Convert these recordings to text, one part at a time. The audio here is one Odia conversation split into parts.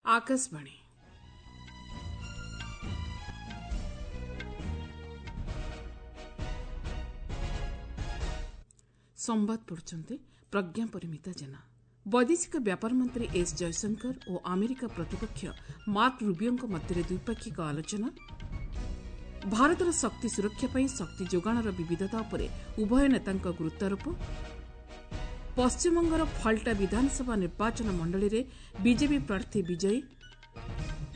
ଆକାଶବାଣୀ। ସମ୍ବାଦ ପଢୁଛନ୍ତି ପ୍ରଜ୍ଞା ପରିମିତା ଜେନା। ବୈଦେଶିକ ବ୍ୟାପାର ମନ୍ତ୍ରୀ ଏସ୍ ଜୟଶଙ୍କର ଓ ଆମେରିକା ପ୍ରତିପକ୍ଷ ମାର୍କ ରୁବିଓଙ୍କ ମଧ୍ୟରେ ଦ୍ୱିପାକ୍ଷିକ ଆଲୋଚନା। ଭାରତର ଶକ୍ତି ସୁରକ୍ଷା ପାଇଁ ଶକ୍ତି ଯୋଗାଣର ବିବିଧତା ଉପରେ ଉଭୟ ନେତାଙ୍କ ଗୁରୁତ୍ୱାରୋପ। ପଶ୍ଚିମବଙ୍ଗର ଫାଲ୍ଟା ବିଧାନସଭା ନିର୍ବାଚନ ମଣ୍ଡଳୀରେ ବିଜେପି ପ୍ରାର୍ଥୀ ବିଜୟୀ।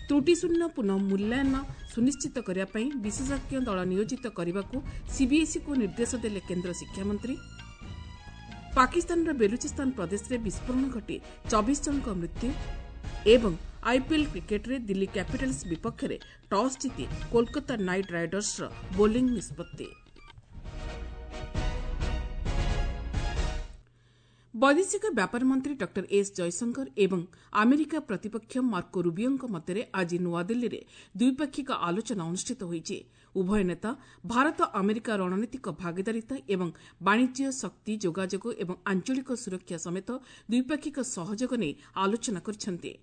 ତ୍ରୁଟିଶୂନ୍ୟ ପୁନଃ ମୂଲ୍ୟାୟନ ସୁନିଶ୍ଚିତ କରିବା ପାଇଁ ବିଶେଷଜ୍ଞ ଦଳ ନିୟୋଜିତ କରିବାକୁ ସିବିଏସ୍ଇକୁ ନିର୍ଦ୍ଦେଶ ଦେଲେ କେନ୍ଦ୍ର ଶିକ୍ଷାମନ୍ତ୍ରୀ। ପାକିସ୍ତାନର ବେଲୁଚିସ୍ତାନ ପ୍ରଦେଶରେ ବିସ୍ଫୋରଣ ଘଟି 24 ଜଣଙ୍କ ମୃତ୍ୟୁ। ଏବଂ ଆଇପିଏଲ୍ କ୍ରିକେଟ୍ରେ ଦିଲ୍ଲୀ କ୍ୟାପିଟାଲ୍ସ ବିପକ୍ଷରେ ଟସ୍ ଜିତି କୋଲକାତା ନାଇଟ୍ ରାଇଡର୍ସର ବୋଲିଂ ନିଷ୍ପତ୍ତି। ବୈଦେଶିକ ବ୍ୟାପାର ମନ୍ତ୍ରୀ ଡକ୍ଟର ଏସ୍ ଜୟଶଙ୍କର ଏବଂ ଆମେରିକା ପ୍ରତିପକ୍ଷ ମାର୍କୋ ରୁବିଓଙ୍କ ମଧ୍ୟରେ ଆଜି ନୂଆଦିଲ୍ଲୀରେ ଦ୍ୱିପାକ୍ଷିକ ଆଲୋଚନା ଅନୁଷ୍ଠିତ ହୋଇଛି। ଉଭୟ ନେତା ଭାରତ ଆମେରିକା ରଣନୀତିକ ଭାଗିଦାରିତା ଏବଂ ବାଣିଜ୍ୟ, ଶକ୍ତି, ଯୋଗାଯୋଗ ଏବଂ ଆଞ୍ଚଳିକ ସୁରକ୍ଷା ସମେତ ଦ୍ୱିପାକ୍ଷିକ ସହଯୋଗ ନେଇ ଆଲୋଚନା କରିଛନ୍ତି।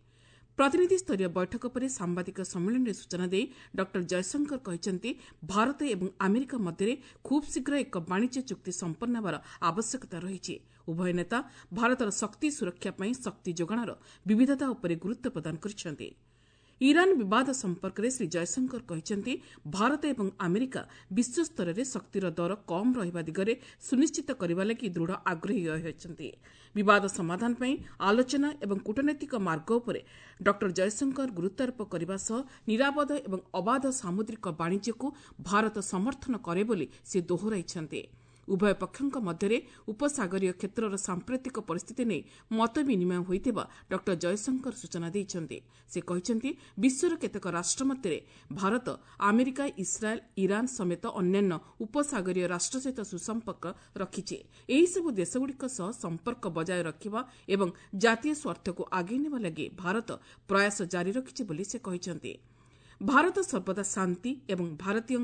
ପ୍ରତିନିଧିସ୍ତରୀୟ ବୈଠକ ପରେ ସାମ୍ବାଦିକ ସମ୍ମିଳନୀରେ ସୂଚନା ଦେଇ ଡକ୍ଟର ଜୟଶଙ୍କର କହିଛନ୍ତି, ଭାରତ ଏବଂ ଆମେରିକା ମଧ୍ୟରେ ଖୁବ୍ ଶୀଘ୍ର ଏକ ବାଣିଜ୍ୟ ଚୁକ୍ତି ସମ୍ପନ୍ନ ହେବାର ଆବଶ୍ୟକତା ରହିଛି। ଉଭୟ ନେତା ଭାରତର ଶକ୍ତି ସୁରକ୍ଷା ପାଇଁ ଶକ୍ତି ଯୋଗାଣର ବିବିଧତା ଉପରେ ଗୁରୁତ୍ୱ ପ୍ରଦାନ କରିଛନ୍ତି। ଇରାନ୍ ବିବାଦ ସମ୍ପର୍କରେ ଶ୍ରୀ ଜୟଶଙ୍କର କହିଛନ୍ତି, ଭାରତ ଏବଂ ଆମେରିକା ବିଶ୍ୱସ୍ତରରେ ଶକ୍ତିର ଦର କମ୍ ରହିବା ଦିଗରେ ସୁନିଶ୍ଚିତ କରିବା ଲାଗି ଦୃଢ଼ ଆଗ୍ରହୀ ରହିଛନ୍ତି। ବିବାଦ ସମାଧାନ ପାଇଁ ଆଲୋଚନା ଏବଂ କୂଟନୈତିକ ମାର୍ଗ ଉପରେ ଡକ୍ଟର ଜୟଶଙ୍କର ଗୁରୁତ୍ୱାରୋପ କରିବା ସହ ନିରାପଦ ଏବଂ ଅବାଧ ସାମୁଦ୍ରିକ ବାଣିଜ୍ୟକୁ ଭାରତ ସମର୍ଥନ କରେ ବୋଲି ସେ ଦୋହରାଇଛନ୍ତି। ଉଭୟ ପକ୍ଷଙ୍କ ମଧ୍ୟରେ ଉପସାଗରୀୟ କ୍ଷେତ୍ରର ସାମ୍ପ୍ରତିକ ପରିସ୍ଥିତି ନେଇ ମତ ବିନିମୟ ହୋଇଥିବା ଡକ୍ଟର ଜୟଶଙ୍କର ସୂଚନା ଦେଇଛନ୍ତି। ସେ କହିଛନ୍ତି, ବିଶ୍ୱର କେତେକ ରାଷ୍ଟ୍ର ମଧ୍ୟରେ ଭାରତ ଆମେରିକା, ଇସ୍ରାଏଲ୍, ଇରାନ୍ ସମେତ ଅନ୍ୟାନ୍ୟ ଉପସାଗରୀୟ ରାଷ୍ଟ୍ର ସହିତ ସୁସମ୍ପର୍କ ରଖିଛି। ଏହିସବୁ ଦେଶଗୁଡ଼ିକ ସହ ସମ୍ପର୍କ ବଜାୟ ରଖିବା ଏବଂ ଜାତୀୟ ସ୍ୱାର୍ଥକୁ ଆଗେଇ ନେବା ଲାଗି ଭାରତ ପ୍ରୟାସ ଜାରି ରଖିଛି ବୋଲି ସେ କହିଛନ୍ତି। ଭାରତ ସର୍ବଦା ଶାନ୍ତି ଏବଂ ଭାରତୀୟ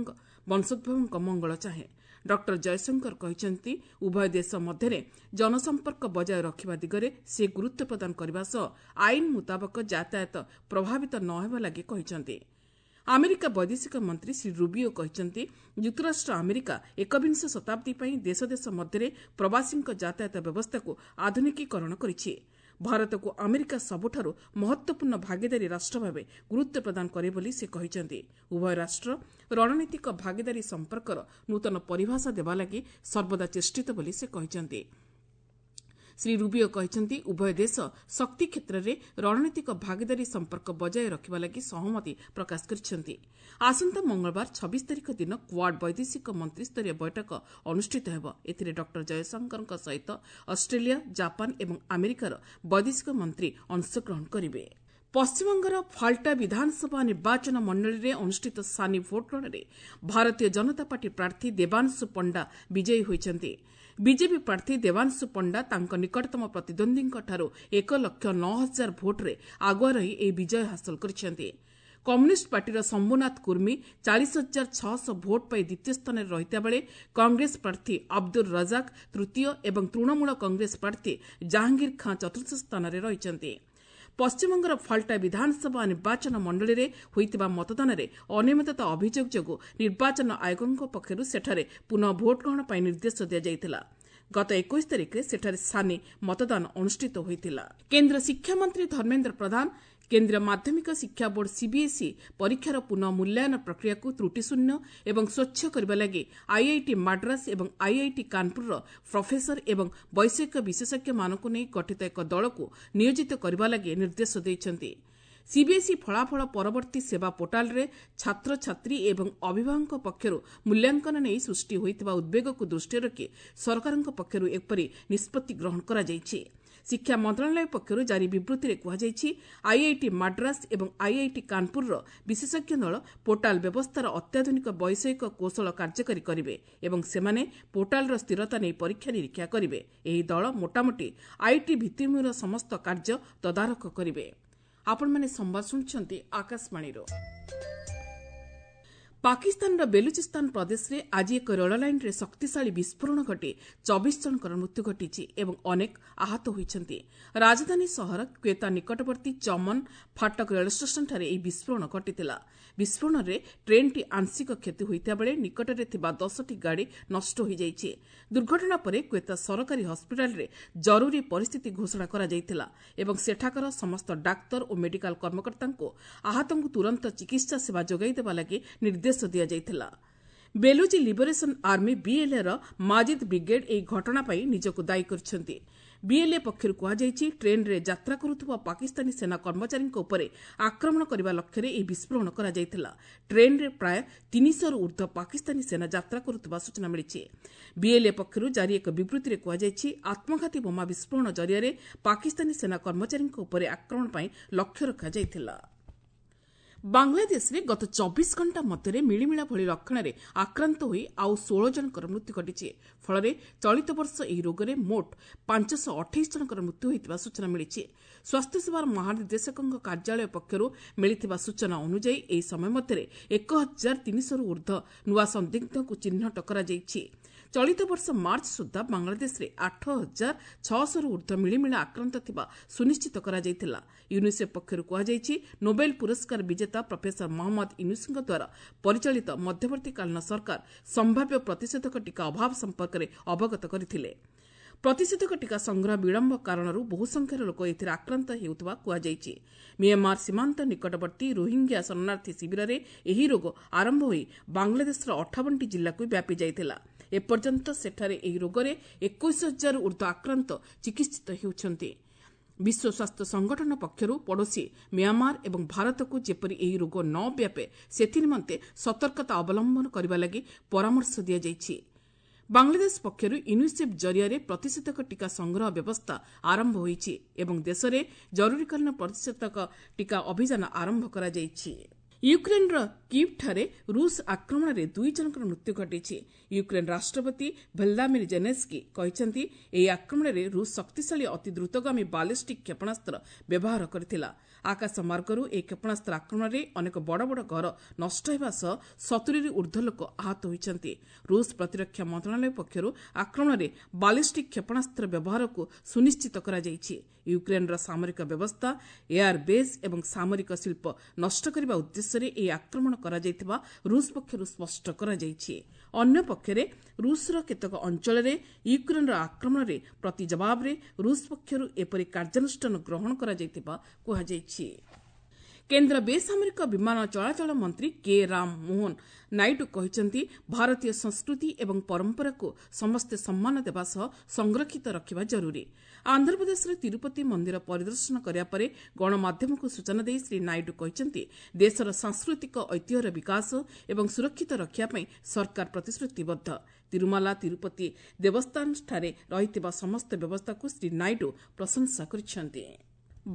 ବଂଶୋଦ୍ଭବଙ୍କ ମଙ୍ଗଳ ଚାହେଁ। ଡକ୍ଟର ଜୟଶଙ୍କର କହିଛନ୍ତି, ଉଭୟ ଦେଶ ମଧ୍ୟରେ ଜନସମ୍ପର୍କ ବଜାୟ ରଖିବା ଦିଗରେ ସେ ଗୁରୁତ୍ୱ ପ୍ରଦାନ କରିବା ସହ ଆଇନ ମୁତାବକ ଯାତାୟାତ ପ୍ରଭାବିତ ନ ହେବା ଲାଗି କହିଛନ୍ତି। ଆମେରିକା ବୈଦେଶିକ ମନ୍ତ୍ରୀ ଶ୍ରୀ ରୁବିଓ କହିଛନ୍ତି, ଯୁକ୍ତରାଷ୍ଟ୍ର ଆମେରିକା ଏକବିଂଶ ଶତାବ୍ଦୀ ପାଇଁ ଦେଶ ଦେଶ ମଧ୍ୟରେ ପ୍ରବାସୀଙ୍କ ଯାତାୟାତ ବ୍ୟବସ୍ଥାକୁ ଆଧୁନିକୀକରଣ କରିଛି। ଭାରତକୁ ଆମେରିକା ସବୁଠାରୁ ମହତ୍ୱପୂର୍ଣ୍ଣ ଭାଗିଦାରୀ ରାଷ୍ଟ୍ର ଭାବେ ଗୁରୁତ୍ୱ ପ୍ରଦାନ କରେ ବୋଲି ସେ କହିଛନ୍ତି। ଉଭୟ ରାଷ୍ଟ୍ର ରଣନୀତିକ ଭାଗିଦାରୀ ସମ୍ପର୍କର ନୂତନ ପରିଭାଷା ଦେବା ଲାଗି ସର୍ବଦା ଚେଷ୍ଟିତ ବୋଲି ସେ କହିଛନ୍ତି। ଶ୍ରୀ ରୁବିଓ କହିଛନ୍ତି, ଉଭୟ ଦେଶ ଶକ୍ତି କ୍ଷେତ୍ରରେ ରଣନୀତିକ ଭାଗିଦାରୀ ସମ୍ପର୍କ ବଜାୟ ରଖିବା ଲାଗି ସହମତି ପ୍ରକାଶ କରିଛନ୍ତି। ଆସନ୍ତା ମଙ୍ଗଳବାର 26 ତାରିଖ ଦିନ କ୍ୱାଡ୍ ବୈଦେଶିକ ମନ୍ତ୍ରୀସ୍ତରୀୟ ବୈଠକ ଅନୁଷ୍ଠିତ ହେବ। ଏଥିରେ ଡକ୍ଟର ଜୟଶଙ୍କରଙ୍କ ସହିତ ଅଷ୍ଟ୍ରେଲିଆ, ଜାପାନ ଏବଂ ଆମେରିକାର ବୈଦେଶିକ ମନ୍ତ୍ରୀ ଅଂଶଗ୍ରହଣ କରିବେ। ପଶ୍ଚିମବଙ୍ଗର ଫାଲ୍ଟା ବିଧାନସଭା ନିର୍ବାଚନ ମଣ୍ଡଳୀରେ ଅନୁଷ୍ଠିତ ସାନି ଭୋଟ୍ଗ୍ରହଣରେ ଭାରତୀୟ ଜନତା ପାର୍ଟି ପ୍ରାର୍ଥୀ ଦେବାଂଶୁ ପଣ୍ଡା ବିଜୟୀ ହୋଇଛନ୍ତି। ବିଜେପି ପ୍ରାର୍ଥୀ ଦେବାଂଶୁ ପଣ୍ଡା ତାଙ୍କ ନିକଟତମ ପ୍ରତିଦ୍ୱନ୍ଦ୍ୱୀଙ୍କଠାରୁ 1,09,000 ଭୋଟ୍ରେ ଆଗୁଆ ରହି ଏହି ବିଜୟ ହାସଲ କରିଛନ୍ତି। କମ୍ୟୁନିଷ୍ଟ ପାର୍ଟିର ଶମ୍ଭୁନାଥ କୁର୍ମୀ 40,600 ଭୋଟ୍ ପାଇ ଦ୍ୱିତୀୟ ସ୍ଥାନରେ ରହିଥିବାବେଳେ କଂଗ୍ରେସ ପ୍ରାର୍ଥୀ ଅବଦୁଲ ରଜାକ ତୃତୀୟ ଏବଂ ତୃଣମୂଳ କଂଗ୍ରେସ ପ୍ରାର୍ଥୀ ଜାହାଙ୍ଗୀର ଖାଁ ଚତୁର୍ଥ ସ୍ଥାନରେ ରହିଛନ୍ତି। ପଶ୍ଚିମବଙ୍ଗର ଫାଲ୍ଟା ବିଧାନସଭା ନିର୍ବାଚନ ମଣ୍ଡଳୀରେ ହୋଇଥିବା ମତଦାନରେ ଅନିୟମିତତା ଅଭିଯୋଗ ଯୋଗୁଁ ନିର୍ବାଚନ ଆୟୋଗଙ୍କ ପକ୍ଷରୁ ସେଠାରେ ପୁନଃ ଭୋଟ୍ଗ୍ରହଣ ପାଇଁ ନିର୍ଦ୍ଦେଶ ଦିଆଯାଇଥିଲା। ଗତ 21 ତାରିଖରେ ସେଠାରେ ସାନି ମତଦାନ ଅନୁଷ୍ଠିତ ହୋଇଥିଲା। କେନ୍ଦ୍ର ଶିକ୍ଷାମନ୍ତ୍ରୀ ଧର୍ମେନ୍ଦ୍ର ପ୍ରଧାନ କେନ୍ଦ୍ରୀୟ ମାଧ୍ୟମିକ ଶିକ୍ଷା ବୋର୍ଡ ସିବିଏସ୍ଇ ପରୀକ୍ଷାର ପୁନଃ ମୂଲ୍ୟାୟନ ପ୍ରକ୍ରିୟାକୁ ତ୍ରୁଟିଶୂନ୍ୟ ଏବଂ ସ୍ୱଚ୍ଛ କରିବା ଲାଗି ଆଇଆଇଟି ମାଡ୍ରାସ ଏବଂ ଆଇଆଇଟି କାନପୁରର ପ୍ରଫେସର ଏବଂ ବୈଷୟିକ ବିଶେଷଜ୍ଞମାନଙ୍କୁ ନେଇ ଗଠିତ ଏକ ଦଳକୁ ନିୟୋଜିତ କରିବା ଲାଗି ନିର୍ଦ୍ଦେଶ ଦେଇଛନ୍ତି। ସିବିଏସ୍ଇ ଫଳାଫଳ ପରବର୍ତ୍ତୀ ସେବା ପୋର୍ଟାଲରେ ଛାତ୍ରଛାତ୍ରୀ ଏବଂ ଅଭିଭାବକଙ୍କ ପକ୍ଷରୁ ମୂଲ୍ୟାଙ୍କନ ନେଇ ସୃଷ୍ଟି ହୋଇଥିବା ଉଦ୍ବେଗକୁ ଦୃଷ୍ଟିରେ ରଖି ସରକାରଙ୍କ ପକ୍ଷରୁ ଏପରି ନିଷ୍ପତ୍ତି ଗ୍ରହଣ କରାଯାଇଛି। ଶିକ୍ଷା ମନ୍ତ୍ରଣାଳୟ ପକ୍ଷରୁ ଜାରି ବିବୃତ୍ତିରେ କୁହାଯାଇଛି, ଆଇଆଇଟି ମାଡ୍ରାସ ଏବଂ ଆଇଆଇଟି କାନପୁରର ବିଶେଷଜ୍ଞ ଦଳ ପୋର୍ଟାଲ ବ୍ୟବସ୍ଥାର ଅତ୍ୟାଧୁନିକ ବୈଷୟିକ କୌଶଳ କାର୍ଯ୍ୟକାରୀ କରିବେ ଏବଂ ସେମାନେ ପୋର୍ଟାଲର ସ୍ଥିରତା ନେଇ ପରୀକ୍ଷା ନିରୀକ୍ଷା କରିବେ। ଏହି ଦଳ ମୋଟାମୋଟି IT ଭିତ୍ତିଭୂମିର ସମସ୍ତ କାର୍ଯ୍ୟ ତଦାରଖ କରିବେ। ଆପଣମାନେ ସମ୍ବାଦ ଶୁଣୁଛନ୍ତି ଆକାଶବାଣୀରୁ। ପାକିସ୍ତାନର ବେଲୁଚିସ୍ତାନ ପ୍ରଦେଶରେ ଆଜି ଏକ ରେଳ ଲାଇନ୍ରେ ଶକ୍ତିଶାଳୀ ବିସ୍ଫୋରଣ ଘଟି 24 ଜଣଙ୍କର ମୃତ୍ୟୁ ଘଟିଛି ଏବଂ ଅନେକ ଆହତ ହୋଇଛନ୍ତି। ରାଜଧାନୀ ସହର କ୍ୱେତା ନିକଟବର୍ତ୍ତୀ ଚମନ ଫାଟକ ରେଳ ଷ୍ଟେସନଠାରେ ଏହି ବିସ୍ଫୋରଣ ଘଟିଥିଲା। ବିସ୍ଫୋରଣରେ ଟ୍ରେନ୍ଟି ଆଂଶିକ କ୍ଷତି ହୋଇଥିବା ବେଳେ ନିକଟରେ ଥିବା 10ଟି ଗାଡ଼ି ନଷ୍ଟ ହୋଇଯାଇଛି। ଦୁର୍ଘଟଣା ପରେ କ୍ୱେତା ସରକାରୀ ହସ୍ପିଟାଲରେ ଜରୁରୀ ପରିସ୍ଥିତି ଘୋଷଣା କରାଯାଇଥିଲା ଏବଂ ସେଠାକାର ସମସ୍ତ ଡାକ୍ତର ଓ ମେଡିକାଲ କର୍ମକର୍ତ୍ତାଙ୍କୁ ଆହତଙ୍କୁ ତୁରନ୍ତ ଚିକିତ୍ସା ସେବା ଯୋଗାଇ ଦେବା ଲାଗି ନିର୍ଦ୍ଦେଶ ଦିଆଯାଇଥିଲା। Baluchi liberation army ବିଏଲ୍ଏର Majeed brigade ଏହି ଘଟଣା ପାଇଁ ନିଜକୁ ଦାୟୀ କରିଛନ୍ତି। ବିଏଲ୍ଏ ପକ୍ଷରୁ କୁହାଯାଇଛି, ଟ୍ରେନ୍ରେ ଯାତ୍ରା କରୁଥିବା ପାକିସ୍ତାନୀ ସେନା କର୍ମଚାରୀଙ୍କ ଉପରେ ଆକ୍ରମଣ କରିବା ଲକ୍ଷ୍ୟରେ ଏହି ବିସ୍ଫୋରଣ କରାଯାଇଥିଲା। ଟ୍ରେନ୍ରେ ପ୍ରାୟ 300ରୁ ଉର୍ଦ୍ଧ୍ୱ ପାକିସ୍ତାନୀ ସେନା ଯାତ୍ରା କରୁଥିବା ସୂଚନା ମିଳିଛି। ବିଏଲ୍ଏ ପକ୍ଷରୁ ଜାରି ଏକ ବିବୃତ୍ତିରେ କୁହାଯାଇଛି, ଆତ୍ମଘାତୀ ବୋମା ବିସ୍ଫୋରଣ ଜରିଆରେ ପାକିସ୍ତାନୀ ସେନା କର୍ମଚାରୀଙ୍କ ଉପରେ ଆକ୍ରମଣ ପାଇଁ ଲକ୍ଷ୍ୟ ରଖାଯାଇଥିଲା। ବାଂଲାଦେଶରେ ଗତ 24 ଘଣ୍ଟା ମଧ୍ୟରେ ମିଳିମିଳା ଭଳି ଲକ୍ଷଣରେ ଆକ୍ରାନ୍ତ ହୋଇ ଆଉ 16 ଜଣଙ୍କର ମୃତ୍ୟୁ ଘଟିଛି। ଫଳରେ ଚଳିତ ବର୍ଷ ଏହି ରୋଗରେ ମୋଟ 528 ଜଣଙ୍କର ମୃତ୍ୟୁ ହୋଇଥିବା ସୂଚନା ମିଳିଛି। ସ୍ୱାସ୍ଥ୍ୟସେବାର ମହାନିର୍ଦ୍ଦେଶକଙ୍କ କାର୍ଯ୍ୟାଳୟ ପକ୍ଷରୁ ମିଳିଥିବା ସୂଚନା ଅନୁଯାୟୀ ଏହି ସମୟ ମଧ୍ୟରେ 1300ରୁ ଉର୍ଦ୍ଧ୍ୱ ନୂଆ ସନ୍ଦିଗ୍ଧଙ୍କୁ ଚିହ୍ନଟ କରାଯାଇଛି। ଚଳିତ ବର୍ଷ ମାର୍ଚ୍ଚ ସୁଦ୍ଧା ବାଂଲାଦେଶରେ 8600ରୁ ଉର୍ଦ୍ଧ୍ୱ ମିଳିମିଳା ଆକ୍ରାନ୍ତ ଥିବା ସୁନିଶ୍ଚିତ କରାଯାଇଥିଲା। ୟୁନିସେଫ୍ ପକ୍ଷରୁ କୁହାଯାଇଛି, ନୋବେଲ ପୁରସ୍କାର ବିଜେତା ପ୍ରଫେସର ମହମ୍ମଦ ୟୁନୁସଙ୍କ ଦ୍ୱାରା ପରିଚାଳିତ ମଧ୍ୟବର୍ତ୍ତୀକାଳୀନ ସରକାର ସମ୍ଭାବ୍ୟ ପ୍ରତିଷେଧକ ଟିକା ଅଭାବ ସମ୍ପର୍କରେ ଅବଗତ କରିଥିଲେ। ପ୍ରତିଷେଧକ ଟିକା ସଂଗ୍ରହ ବିଳମ୍ବ କାରଣରୁ ବହୁ ସଂଖ୍ୟାର ଲୋକ ଏଥିରେ ଆକ୍ରାନ୍ତ ହେଉଥିବା କୁହାଯାଇଛି। ମିଆଁମାର ସୀମାନ୍ତ ନିକଟବର୍ତ୍ତୀ ରୋହିଙ୍ଗ୍ୟା ଶରଣାର୍ଥୀ ଶିବିରରେ ଏହି ରୋଗ ଆରମ୍ଭ ହୋଇ ବାଂଲାଦେଶର 58ଟି ଜିଲ୍ଲାକୁ ବ୍ୟାପି ଯାଇଥିଲା। ଏପର୍ଯ୍ୟନ୍ତ ସେଠାରେ ଏହି ରୋଗରେ 21,000ରୁ ଉର୍ଦ୍ଧ୍ୱ ଆକ୍ରାନ୍ତ ଚିକିତ୍ସିତ ହେଉଛନ୍ତି। ବିଶ୍ୱ ସ୍ୱାସ୍ଥ୍ୟ ସଂଗଠନ ପକ୍ଷରୁ ପଡ଼ୋଶୀ ମିଆଁମାର ଏବଂ ଭାରତକୁ ଯେପରି ଏହି ରୋଗ ନ ବ୍ୟାପେ ସେଥିନିମନ୍ତେ ସତର୍କତା ଅବଲମ୍ବନ କରିବା ଲାଗି ପରାମର୍ଶ ଦିଆଯାଇଛି। ବାଂଲାଦେଶ ପକ୍ଷରୁ ୟୁନିସେଫ୍ ଜରିଆରେ ପ୍ରତିଷେଧକ ଟିକା ସଂଗ୍ରହ ବ୍ୟବସ୍ଥା ଆରମ୍ଭ ହୋଇଛି ଏବଂ ଦେଶରେ ଜରୁରୀକାଳୀନ ପ୍ରତିଷେଧକ ଟିକା ଅଭିଯାନ ଆରମ୍ଭ କରାଯାଇଛି। ୟୁକ୍ରେନ୍ର କିଭ୍ଠାରେ ରୁଷ ଆକ୍ରମଣରେ 2 ଜଣଙ୍କର ମୃତ୍ୟୁ ଘଟିଛି। ୟୁକ୍ରେନ୍ ରାଷ୍ଟ୍ରପତି ଭ୍ଲାଦିମିର ଜେଲେନ୍ସ୍କି କହିଛନ୍ତି, ଏହି ଆକ୍ରମଣରେ ରୁଷ ଶକ୍ତିଶାଳୀ ଅତି ଦ୍ରୁତଗାମୀ ବାଲିଷ୍ଟିକ୍ କ୍ଷେପଣାସ୍ତ୍ର ବ୍ୟବହାର କରିଥିଲା। ଆକାଶ ମାର୍ଗରୁ ଏହି କ୍ଷେପଣାସ୍ତ୍ର ଆକ୍ରମଣରେ ଅନେକ ବଡ଼ ବଡ଼ ଘର ନଷ୍ଟ ହେବା ସହ 70ରୁ ଉର୍ଦ୍ଧ୍ୱ ଲୋକ ଆହତ ହୋଇଛନ୍ତି। ରୁଷ ପ୍ରତିରକ୍ଷା ମନ୍ତ୍ରଣାଳୟ ପକ୍ଷରୁ ଆକ୍ରମଣରେ ବାଲିଷ୍ଟିକ୍ କ୍ଷେପଣାସ୍ତ୍ର ବ୍ୟବହାରକୁ ସୁନିଶ୍ଚିତ କରାଯାଇଛି। ୟୁକ୍ରେନ୍ର ସାମରିକ ବ୍ୟବସ୍ଥା, ଏୟାର ବେସ୍ ଏବଂ ସାମରିକ ଶିଳ୍ପ ନଷ୍ଟ କରିବା ଉଦ୍ଦେଶ୍ୟରେ ଏହି ଆକ୍ରମଣ କରାଯାଇଥିବା ରୁଷ ପକ୍ଷରୁ ସ୍ପଷ୍ଟ କରାଯାଇଛି। ଅନ୍ୟପକ୍ଷରେ ରୁଷର କେତେକ ଅଞ୍ଚଳରେ ୟୁକ୍ରେନ୍ର ଆକ୍ରମଣରେ ପ୍ରତି ଜବାବରେ ରୁଷ ପକ୍ଷରୁ ଏପରି କାର୍ଯ୍ୟାନୁଷ୍ଠାନ ଗ୍ରହଣ କରାଯାଇଥିବା କୁହାଯାଇଛି। କେନ୍ଦ୍ର ବେସାମରିକ ବିମାନ ଚଳାଚଳ ମନ୍ତ୍ରୀ କେ ରାମ ମୋହନ ନାଇଡୁ କହିଛନ୍ତି, ଭାରତୀୟ ସଂସ୍କୃତି ଏବଂ ପରମ୍ପରାକୁ ସମସ୍ତେ ସମ୍ମାନ ଦେବା ସହ ସଂରକ୍ଷିତ ରଖିବା ଜରୁରୀ। ଆନ୍ଧ୍ରପ୍ରଦେଶର ତିରୁପତି ମନ୍ଦିର ପରିଦର୍ଶନ କରିବା ପରେ ଗଣମାଧ୍ୟମକୁ ସୂଚନା ଦେଇ ଶ୍ରୀ ନାଇଡୁ କହିଛନ୍ତି, ଦେଶର ସାଂସ୍କୃତିକ ଐତିହ୍ୟର ବିକାଶ ଏବଂ ସୁରକ୍ଷିତ ରଖିବା ପାଇଁ ସରକାର ପ୍ରତିଶ୍ରୁତିବଦ୍ଧ। ତିରୁମାଲା ତିରୁପତି ଦେବସ୍ଥାନଠାରେ ରହିଥିବା ସମସ୍ତ ବ୍ୟବସ୍ଥାକୁ ଶ୍ରୀ ନାଇଡୁ ପ୍ରଶଂସା କରିଛନ୍ତି।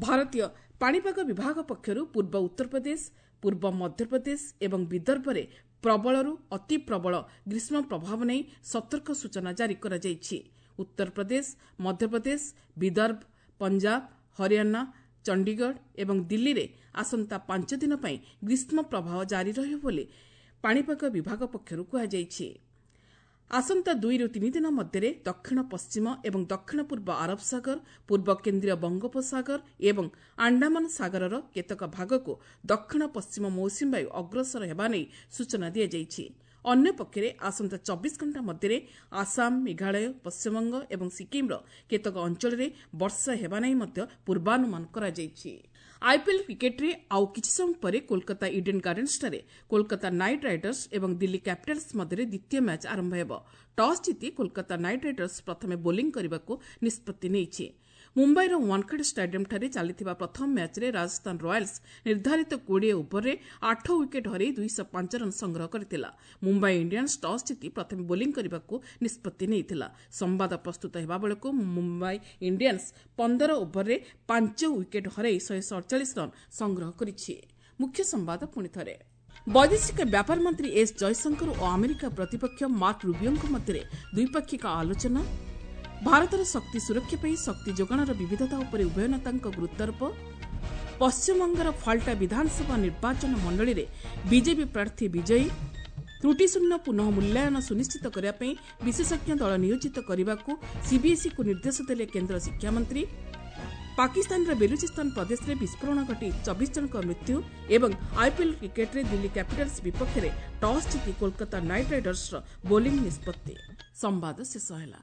ଭାରତୀୟ ପାଣିପାଗ ବିଭାଗ ପକ୍ଷରୁ ପୂର୍ବ ଉତ୍ତରପ୍ରଦେଶ, ପୂର୍ବ ମଧ୍ୟପ୍ରଦେଶ ଏବଂ ବିଦର୍ଭରେ ପ୍ରବଳରୁ ଅତି ପ୍ରବଳ ଗ୍ରୀଷ୍ମ ପ୍ରଭାବ ନେଇ ସତର୍କ ସୂଚନା ଜାରି କରାଯାଇଛି। ଉତ୍ତରପ୍ରଦେଶ, ମଧ୍ୟପ୍ରଦେଶ, ବିଦର୍ଭ, ପଞ୍ଜାବ, ହରିୟାଣା, ଚଣ୍ଡିଗଡ଼ ଏବଂ ଦିଲ୍ଲୀରେ ଆସନ୍ତା 5 ଦିନ ପାଇଁ ଗ୍ରୀଷ୍ମ ପ୍ରବାହ ଜାରି ରହିବ ବୋଲି ପାଣିପାଗ ବିଭାଗ ପକ୍ଷରୁ କୁହାଯାଇଛି। ଆସନ୍ତା 2ରୁ 3 ଦିନ ମଧ୍ୟରେ ଦକ୍ଷିଣ ପଶ୍ଚିମ ଏବଂ ଦକ୍ଷିଣ ପୂର୍ବ ଆରବ ସାଗର, ପୂର୍ବ କେନ୍ଦ୍ରୀୟ ବଙ୍ଗୋପସାଗର ଏବଂ ଆଣ୍ଡାମାନ ସାଗରର କେତେକ ଭାଗକୁ ଦକ୍ଷିଣ ପଶ୍ଚିମ ମୌସୁମୀ ବାୟୁ ଅଗ୍ରସର ହେବା ନେଇ ସୂଚନା ଦିଆଯାଇଛି। ଅନ୍ୟପକ୍ଷରେ ଆସନ୍ତା 24 ଘଣ୍ଟା ମଧ୍ୟରେ ଆସାମ, ମେଘାଳୟ, ପଶ୍ଚିମବଙ୍ଗ ଏବଂ ସିକିମ୍ର କେତେକ ଅଞ୍ଚଳରେ ବର୍ଷା ହେବା ନେଇ ମଧ୍ୟ ପୂର୍ବାନୁମାନ କରାଯାଇଛି। ଆଇପିଏଲ୍ କ୍ରିକେଟ୍ରେ ଆଉ କିଛି ସମୟ ପରେ କୋଲକାତା ଇଡେନ୍ ଗାର୍ଡେନ୍ସଠାରେ କୋଲକାତା ନାଇଟ୍ ରାଇଡର୍ସ ଏବଂ ଦିଲ୍ଲୀ କ୍ୟାପିଟାଲ୍ସ ମଧ୍ୟରେ ଦ୍ୱିତୀୟ ମ୍ୟାଚ୍ ଆରମ୍ଭ ହେବ। ଟସ୍ ଜିତି କୋଲକାତା ନାଇଟ୍ ରାଇଡର୍ସ ପ୍ରଥମେ ବୋଲିଂ କରିବାକୁ ନିଷ୍ପତ୍ତି ନେଇଛି। ମୁମ୍ବାଇର ୱାନ୍ଖେଡେ ଷ୍ଟାଡିୟମ୍ଠାରେ ଚାଲିଥିବା ପ୍ରଥମ ମ୍ୟାଚ୍ରେ ରାଜସ୍ଥାନ ରୟାଲ୍ସ ନିର୍ଦ୍ଧାରିତ 20 ଓଭରରେ 8 ୱିକେଟ୍ ହରାଇ 205 ରନ୍ ସଂଗ୍ରହ କରିଥିଲା। ମୁମ୍ବାଇ ଇଣ୍ଡିଆନ୍ସ ଟସ୍ ଜିତି ପ୍ରଥମେ ବୋଲିଂ କରିବାକୁ ନିଷ୍ପତ୍ତି ନେଇଥିଲା। ସମ୍ବାଦ ପ୍ରସ୍ତୁତ ହେବା ବେଳକୁ ମୁମ୍ବାଇ ଇଣ୍ଡିଆନ୍ସ 15 ଓଭରରେ 5 ୱିକେଟ୍ ହରାଇ 147 ରନ୍ ସଂଗ୍ରହ କରିଛି। ମୁଖ୍ୟ ସମ୍ବାଦ ପୁଣିଥରେ। ବୈଦେଶିକ ବ୍ୟାପାର ମନ୍ତ୍ରୀ ଏସ୍ ଜୟଶଙ୍କର ଓ ଆମେରିକା ପ୍ରତିପକ୍ଷ ମାର୍କ ରୁବିଓଙ୍କ ମଧ୍ୟରେ ଦ୍ୱିପାକ୍ଷିକ ଆଲୋଚନା। ଭାରତର ଶକ୍ତି ସୁରକ୍ଷା ପାଇଁ ଶକ୍ତି ଯୋଗାଣର ବିବିଧତା ଉପରେ ଉଭୟ ନେତାଙ୍କ ଗୁରୁତ୍ୱାରୋପ। ପଶ୍ଚିମବଙ୍ଗର ଫାଲ୍ଟା ବିଧାନସଭା ନିର୍ବାଚନ ମଣ୍ଡଳୀରେ ବିଜେପି ପ୍ରାର୍ଥୀ ବିଜୟୀ। ତ୍ରୁଟିଶୂନ୍ୟ ପୁନଃ ମୂଲ୍ୟାୟନ ସୁନିଶ୍ଚିତ କରିବା ପାଇଁ ବିଶେଷଜ୍ଞ ଦଳ ନିୟୋଜିତ କରିବାକୁ ସିବିଏସ୍ଇକୁ ନିର୍ଦ୍ଦେଶ ଦେଲେ କେନ୍ଦ୍ର ଶିକ୍ଷାମନ୍ତ୍ରୀ। ପାକିସ୍ତାନର ବେଲୁଚିସ୍ତାନ ପ୍ରଦେଶରେ ବିସ୍ଫୋରଣ ଘଟି 24 ଜଣଙ୍କ ମୃତ୍ୟୁ ଏବଂ ଆଇପିଏଲ୍ କ୍ରିକେଟ୍ରେ ଦିଲ୍ଲୀ କ୍ୟାପିଟାଲ୍ସ ବିପକ୍ଷରେ ଟସ୍ ଜିତି କୋଲକାତା ନାଇଟ୍ ରାଇଡର୍ସର ବୋଲିଂ ନିଷ୍ପତ୍ତି। ସମ୍ବାଦ ଶେଷ ହେଲା।